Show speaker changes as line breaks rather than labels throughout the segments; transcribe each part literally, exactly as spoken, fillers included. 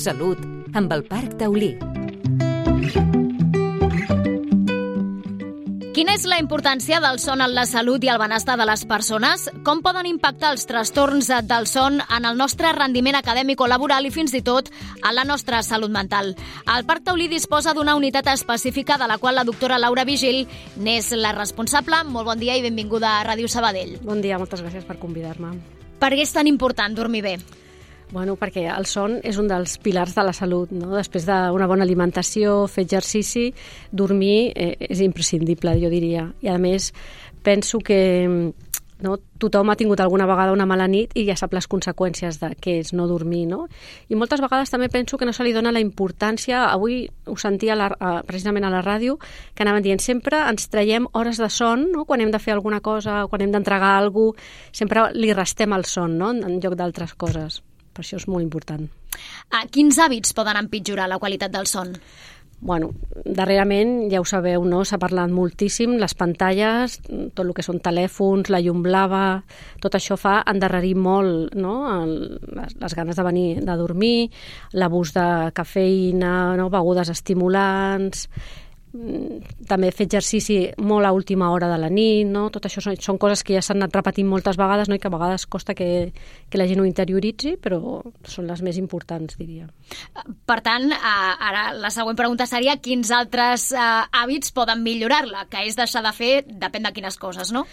Salut, amb el Parc Taulí.
Quina és la importància del son en la salut i el benestar de les persones? Com poden impactar els trastorns del son en el nostre rendiment acadèmic o laboral i fins i tot en la nostra salut mental? El Parc Taulí disposa d'una unitat específica de la qual la doctora Laura Vigil n'és la responsable. Molt bon dia i benvinguda a Ràdio Sabadell.
Bon dia, moltes gràcies per convidar-me.
Per què és tan important dormir bé?
Bueno, perquè el son és un dels pilars de la salut, no? Després d'una bona alimentació, fer exercici, dormir eh, és imprescindible, jo diria. I a més, penso que no, tothom ha tingut alguna vegada una mala nit i ja sap les conseqüències de què és no dormir, no? I moltes vegades també penso que no se li dona la importància. Avui ho sentia la, precisament a la ràdio, que anaven dient sempre ens traiem hores de son, no? Quan hem de fer alguna cosa, quan hem d'entregar alguna cosa, sempre li restem el son, no? En lloc d'altres coses. Per això és molt important.
Ah, quins hàbits poden empitjorar la qualitat del son?
Bueno, darrerament, ja ho sabeu, no? S'ha parlat moltíssim, les pantalles, tot el que són telèfons, la llum blava, tot això fa endarrerir molt, no? El, les, les ganes de venir de dormir, l'abús de cafeïna, no? Begudes estimulants, també fer exercici molt a última hora de la nit, no? Tot això són, són coses que ja s'han anat repetint moltes vegades, no? I que a vegades costa que, que la gent ho interioritzi, però són les més importants, diria.
Per tant, ara la següent pregunta seria quins altres eh, hàbits poden millorar-la, que és deixar de fer depèn de quines coses, no?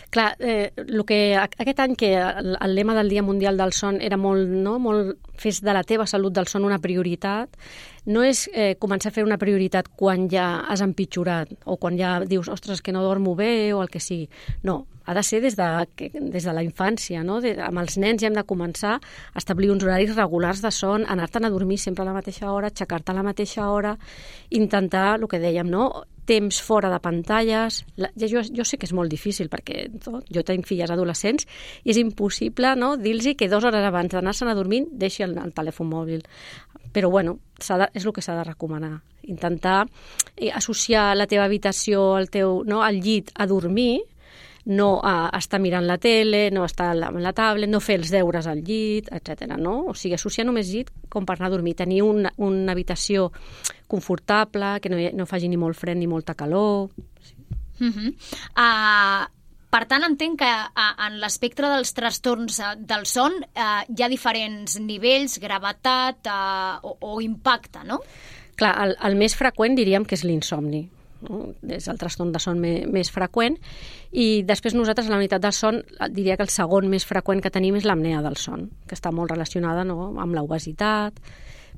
Clar, eh, el que, aquest any que el, el lema del Dia Mundial del Son era molt, no, molt fes de la teva salut del son una prioritat, no és eh, començar a fer una prioritat quan ja has empitjorat o quan ja dius, ostres, que no dormo bé o el que sigui. No, ha de ser des de, des de la infància, no? De, amb els nens ja hem de començar a establir uns horaris regulars de son, anar-te'n a dormir sempre a la mateixa hora, aixecar-te a la mateixa hora, intentar, el que dèiem, no? Temps fora de pantalles. La, jo, jo sé que és molt difícil perquè no? Jo tinc filles adolescents i és impossible, no? Dir-los que dues hores abans d'anar-se'n a dormir deixi el, el telèfon mòbil. Però bueno, de, és el que s'ha de recomanar. Intentar eh, associar la teva habitació, el teu, no? El llit a dormir, no a estar mirant la tele, no estar amb la tablet, no fer els deures al llit, etcètera. No? O sigui, associar només llit com per anar a dormir. Tenir una, una habitació confortable, que no, no faci ni molt fred ni molta calor. Sí.
Uh-huh. Uh, per tant, entenc que uh, en l'espectre dels trastorns uh, del son uh, hi ha diferents nivells, gravetat uh, o, o impacte, no?
Clar, el, el més freqüent diríem que és l'insomni. No? És el trastorn de son més, més freqüent i després nosaltres a la unitat del son diria que el segon més freqüent que tenim és l'apnea del son, que està molt relacionada, no? Amb l'obesitat,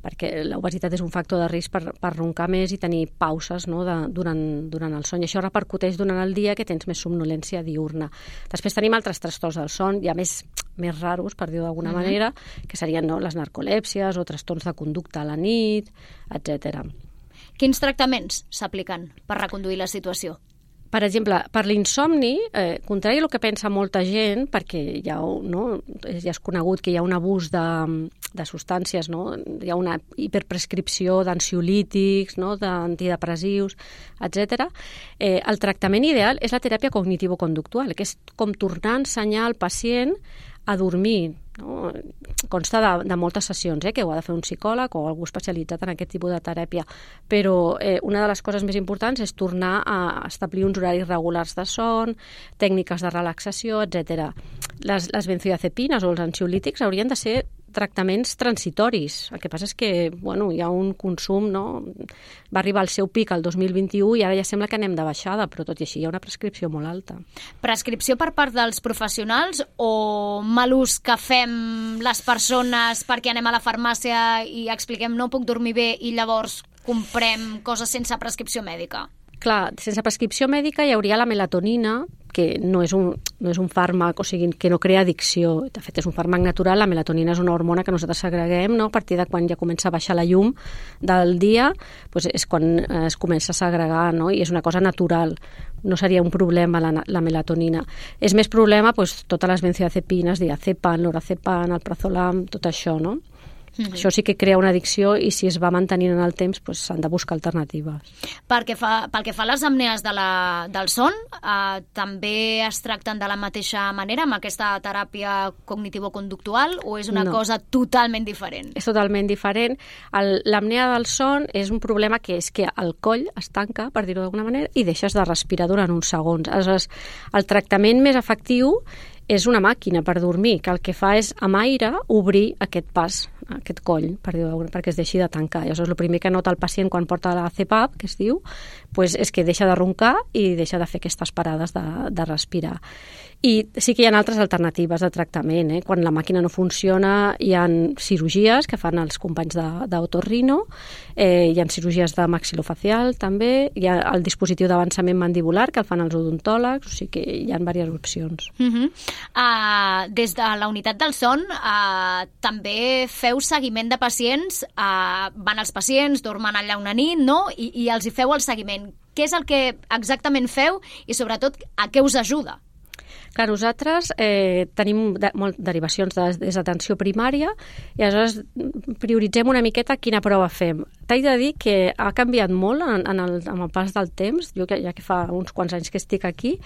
perquè l'obesitat és un factor de risc per, per roncar més i tenir pauses, no? de, durant, durant el son, i això repercuteix durant el dia que tens més somnolència diurna. Després tenim altres trastorns del son, ja més, més raros, per dir-ho d'alguna mm-hmm. manera, que serien, no? Les narcolèpsies o trastorns de conducta a la nit, etcètera.
Quins tractaments s'apliquen per reconduir la situació?
Per exemple, per l'insomni, eh, contrari al que pensa molta gent, perquè ja, no, ja és conegut que hi ha un abús de, de substàncies, no? Hi ha una hiperprescripció d'ansiolítics, no? D'antidepressius, etcètera. Eh, el tractament ideal és la teràpia cognitivo-conductual, que és com tornar a ensenyar al pacient a dormir. No? Consta de, de moltes sessions, eh, que ho ha de fer un psicòleg o algú especialitzat en aquest tipus de teràpia, però eh, una de les coses més importants és tornar a establir uns horaris regulars de son, tècniques de relaxació, etcètera. Les, les benzodiazepines o els ansiolítics haurien de ser tractaments transitoris. El que passa és que bueno, hi ha un consum, no? Va arribar al seu pic el dos mil vint-i-u i ara ja sembla que anem de baixada, però tot i així hi ha una prescripció molt alta.
Prescripció per part dels professionals o mal ús que fem les persones perquè anem a la farmàcia i expliquem no puc dormir bé i llavors comprem coses sense prescripció mèdica?
Clar, sense prescripció mèdica hi hauria la melatonina, que no és un, no és un fàrmac, o sigui, que no crea addicció. De fet, és un fàrmac natural. La melatonina és una hormona que nosaltres segreguem, no? A partir de quan ja comença a baixar la llum del dia, doncs és quan es comença a segregar, no? I és una cosa natural. No seria un problema la, la melatonina. És més problema doncs, totes les benzodiazepines, diazepam, lorazepam, alprazolam, tot això, no? Mm-hmm. Això sí que crea una addicció i si es va mantenint en el temps doncs, s'han de buscar alternatives.
Perquè fa, pel que fa a les apnees de la, del son, eh, també es tracten de la mateixa manera amb aquesta teràpia cognitivo-conductual o és una no. cosa totalment diferent?
És totalment diferent. L'apnea del son és un problema que és que el coll es tanca, per dir-ho d'alguna manera, i deixes de respirar durant uns segons. Aleshores, el tractament més efectiu és una màquina per dormir, que el que fa és, amb aire, obrir aquest pas, aquest coll, per dir-ho, perquè es deixi de tancar. Llavors, el primer que nota el pacient quan porta la C PAP, que es diu, pues és que deixa de roncar i deixa de fer aquestes parades de, de respirar. I sí que hi ha altres alternatives de tractament. Eh? Quan la màquina no funciona, hi ha cirurgies que fan els companys d'otorrino, eh, hi ha cirurgies de maxilofacial també, hi ha el dispositiu d'avançament mandibular que el fan els odontòlegs, o sigui que hi ha diverses opcions.
Uh-huh. Uh, des de la unitat del son uh, també feu seguiment de pacients, uh, van els pacients, dormen allà una nit, no? I, i els hi feu el seguiment. Què és el que exactament feu i sobretot a què us ajuda?
Clar, nosaltres eh, tenim de, molt derivacions de, des d'atenció primària i aleshores prioritzem una miqueta quina prova fem. T'haig de dir que ha canviat molt en, en el, amb el pas del temps, jo que, ja que fa uns quants anys que estic aquí.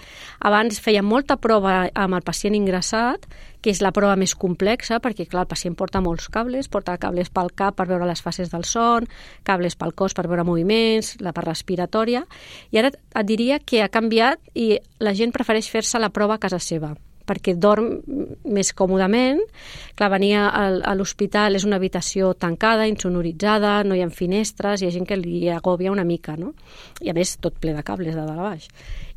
Abans feia molta prova amb el pacient ingressat, que és la prova més complexa, perquè clar, el pacient porta molts cables, porta cables pel cap per veure les fases del son, cables pel cos per veure moviments, la part respiratòria, i ara et diria que ha canviat i la gent prefereix fer-se la prova a casa seva, perquè dorm més còmodament. Clar, venir a l'hospital és una habitació tancada, insonoritzada, no hi ha finestres, hi ha gent que li agòbia una mica, no? I a més tot ple de cables de dalt a baix.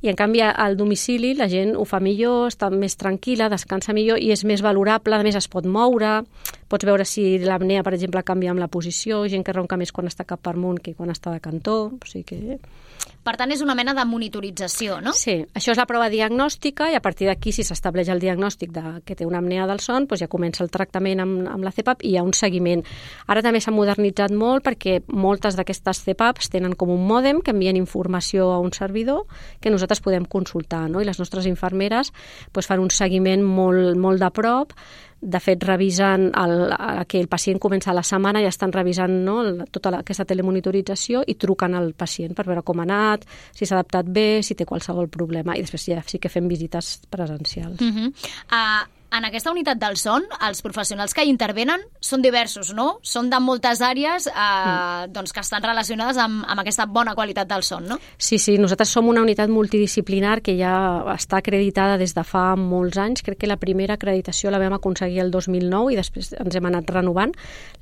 I en canvi al domicili la gent ho fa millor, està més tranquil·la, descansa millor i és més valorable, a més es pot moure, pots veure si l'apnea, per exemple, canvia amb la posició, gent que ronca més quan està cap per amunt que quan està de cantó, o sigui que...
Per tant, és una mena de monitorització, no?
Sí, això és la prova diagnòstica i a partir d'aquí, si s'estableix el diagnòstic de que té una apnea del son, doncs ja comença el tractament amb, amb la C PAP i hi ha un seguiment. Ara també s'ha modernitzat molt perquè moltes d'aquestes C PAPs tenen com un mòdem que envien informació a un servidor que nosaltres podem consultar, no? I les nostres infermeres doncs, fan un seguiment molt, molt de prop. De fet, revisen el, el, que el pacient comença la setmana i estan revisant, no, tota la, aquesta telemonitorització i truquen al pacient per veure com ha anat, si s'ha adaptat bé, si té qualsevol problema, i després ja sí que fem visites presencials.
Uh-huh. Uh, en aquesta unitat del son, els professionals que hi intervenen són diversos, no? Són de moltes àrees eh, mm. doncs que estan relacionades amb, amb aquesta bona qualitat del son, no?
Sí, sí, nosaltres som una unitat multidisciplinar que ja està acreditada des de fa molts anys. Crec que la primera acreditació la vam aconseguir el dos mil nou i després ens hem anat renovant.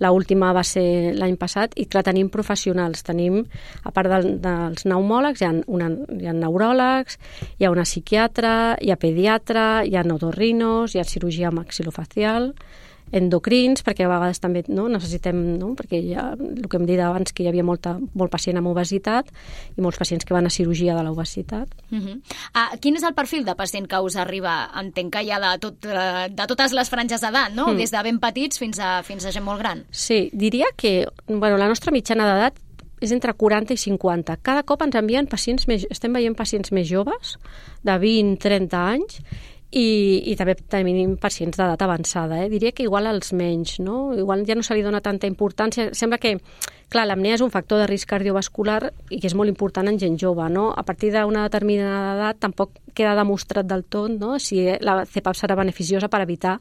L'última va ser l'any passat i, clar, tenim professionals. Tenim, a part del, dels pneumòlegs, hi ha, una, hi ha neuròlegs, hi ha una psiquiatra, hi ha pediatra, hi ha otorrinos, hi ha cirurgia maxilofacial, endocrins, perquè a vegades també no, necessitem, no, perquè hi ha, el que hem dit abans, que hi havia molta, molt pacient amb obesitat i molts pacients que van a cirurgia de l'obesitat.
Uh-huh. uh, quin és el perfil de pacient que us arriba? Entenc que hi ha de, tot, de totes les franges d'edat, no? Mm. Des de ben petits fins a, fins a gent molt gran.
Sí, diria que bueno, la nostra mitjana d'edat és entre quaranta i cinquanta. Cada cop ens envien pacients més, estem veient pacients més joves, de vint a trenta anys, I, i també tenim pacients d'edat avançada. Eh? Diria que igual als menys, no? Igual ja no se li dona tanta importància. Sembla que, clar, l'apnea és un factor de risc cardiovascular i que és molt important en gent jove, no? A partir d'una determinada edat tampoc queda demostrat del tot, no? Si la C PAP serà beneficiosa per evitar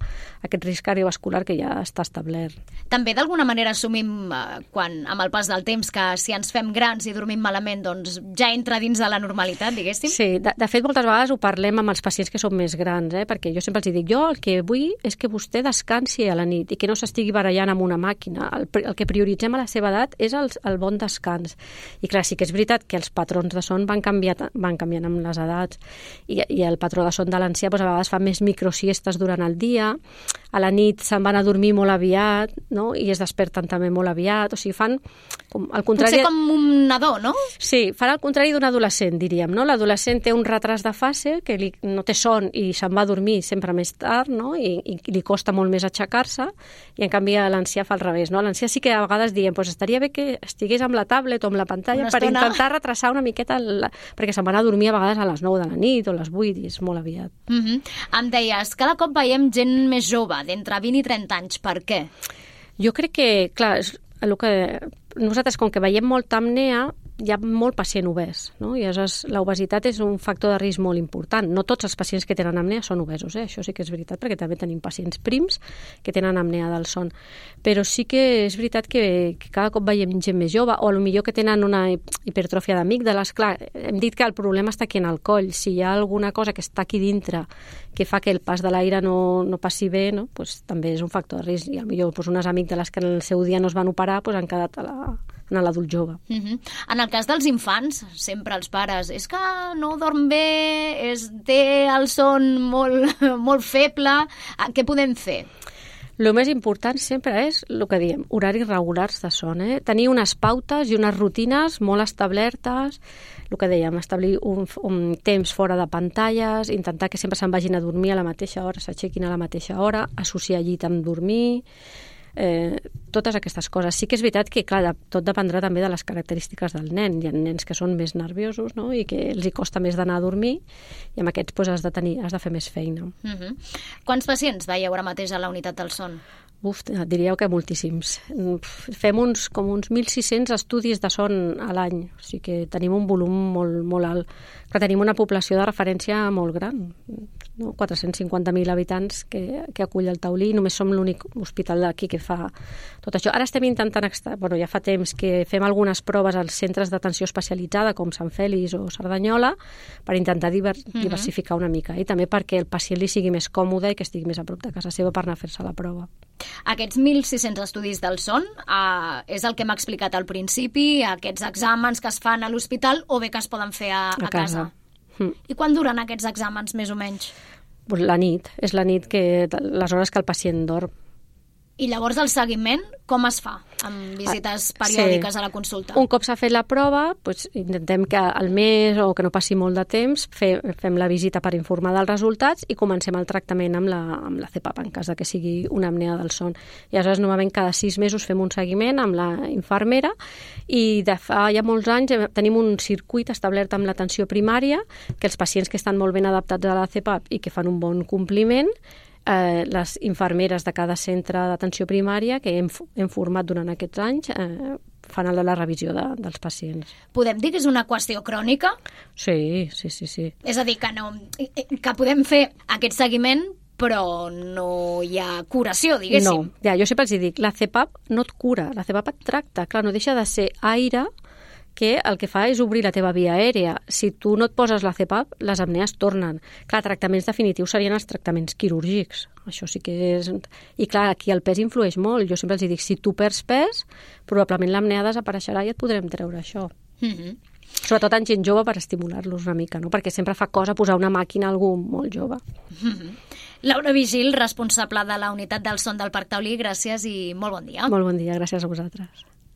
aquest risc cardiovascular que ja està establert.
També d'alguna manera assumim, eh, quan, amb el pas del temps, que si ens fem grans i dormim malament, doncs ja entra dins de la normalitat, diguéssim?
Sí, de, de fet, moltes vegades ho parlem amb els pacients que són més grans, eh? Perquè jo sempre els dic, jo el que vull és que vostè descansi a la nit i que no s'estigui barallant amb una màquina. El, el que prioritzem a la seva edat és el, el bon descans. I clar, sí que és veritat que els patrons de son van, canviat, van canviant amb les edats i, i el patró de son de l'ancià doncs, a vegades fa més microsiestes durant el dia, a la nit se'n van a dormir molt aviat, no? I es desperten també molt aviat, o sigui, fan com al contrari...
Potser com un nadó, no?
Sí, fan al contrari d'un adolescent, diríem, no? L'adolescent té un retras de fase, que li, no té son i se'n va a dormir sempre més tard, no? I, i li costa molt més aixecar-se, i en canvi l'ancià fa al revés, no? L'ancià sí que a vegades diem, pues estaria bé que estigués amb la tablet o amb la pantalla per intentar retrasar una miqueta, la... perquè se'n van a dormir a vegades a les nou de la nit o a les vuit i és molt aviat.
Mm-hmm. Em deies, cada cop veiem gent més jove, d'entre vint i trenta anys, per què?
Jo crec que, clar, és el que nosaltres, com que veiem molta apnea, hi ha molt pacient obès, no? I aleshores l'obesitat és un factor de risc molt important. No tots els pacients que tenen apnea són obesos, eh? Això sí que és veritat, perquè també tenim pacients prims que tenen apnea del son. Però sí que és veritat que, que cada cop veiem gent més jove, o potser que tenen una hipertròfia d'amígdales. Clar, hem dit que el problema està aquí en el coll. Si hi ha alguna cosa que està aquí dintre que fa que el pas de l'aire no, no passi bé, no? Pues, també és un factor de risc. I potser pues, unes amígdales que en el seu dia no es van operar pues, han quedat a la... en l'adult jove.
Uh-huh. En el cas dels infants, sempre els pares, és que no dorm bé, és, té el son molt, molt feble, què podem fer?
El més important sempre és el que diem, horaris regulars de son. Eh? Tenir unes pautes i unes rutines molt establertes, el que dèiem, establir un, un temps fora de pantalles, intentar que sempre se'n vagin a dormir a la mateixa hora, s'aixequin a la mateixa hora, associar llit amb dormir... Eh, totes aquestes coses. Sí que és veritat que, clar, tot dependrà també de les característiques del nen. Hi ha nens que són més nerviosos, no? I que els hi costa més d'anar a dormir, i amb aquests pues, has de tenir, has de fer més feina.
Uh-huh. Quants pacients veieu ara mateix a la unitat del son?
Uf, diríeu que moltíssims. Fem uns, com uns mil sis-cents estudis de son a l'any, o sigui que tenim un volum molt, molt alt. Però tenim una població de referència molt gran, no? quatre-cents cinquanta mil habitants que, que acull el Taulí, i només som l'únic hospital d'aquí que fa tot això. Ara estem intentant, extra... bueno, ja fa temps que fem algunes proves als centres d'atenció especialitzada, com Sant Fèlix o Cerdanyola, per intentar diver... uh-huh. diversificar una mica, i també perquè el pacient li sigui més còmode i que estigui més a prop de casa seva per anar a fer-se la prova.
Aquests mil sis-cents estudis del son eh, és el que m'ha explicat al principi, aquests exàmens que es fan a l'hospital o bé que es poden fer a, a, a casa. casa. Mm. I quan duren aquests exàmens, més o menys?
Pues la nit, és la nit, que les hores que el pacient dorm.
I llavors el seguiment com es fa amb visites periòdiques sí. a la consulta?
Un cop s'ha fet la prova, doncs intentem que al mes o que no passi molt de temps fe, fem la visita per informar dels resultats i comencem el tractament amb la, amb la C PAP en cas de que sigui una apnea del son. I aleshores normalment cada sis mesos fem un seguiment amb la infermera i de fa ja molts anys tenim un circuit establert amb l'atenció primària que els pacients que estan molt ben adaptats a la C PAP i que fan un bon compliment, Eh, les infermeres de cada centre d'atenció primària que hem, hem format durant aquests anys eh, fan la, la revisió de, dels pacients.
Podem dir que és una qüestió crònica?
Sí, sí, sí, sí.
És a dir, que, no, que podem fer aquest seguiment però no hi ha curació, diguéssim.
No, ja, jo sempre els dic, la C PAP no et cura, la C PAP et tracta. Clar, no deixa de ser aire que el que fa és obrir la teva via aèria. Si tu no et poses la C PAP, les apnees tornen. Clar, tractaments definitius serien els tractaments quirúrgics. Això sí que és... I clar, aquí el pes influeix molt. Jo sempre els dic, si tu perds pes, probablement l'apnea desapareixerà i et podrem treure això. Mm-hmm. Sobretot en gent jove per estimular-los una mica, no? Perquè sempre fa cosa posar una màquina a algú molt jove.
Mm-hmm. Laura Vigil, responsable de la unitat del son del Parc Taulí, gràcies i molt bon dia.
Molt bon dia, gràcies a vosaltres.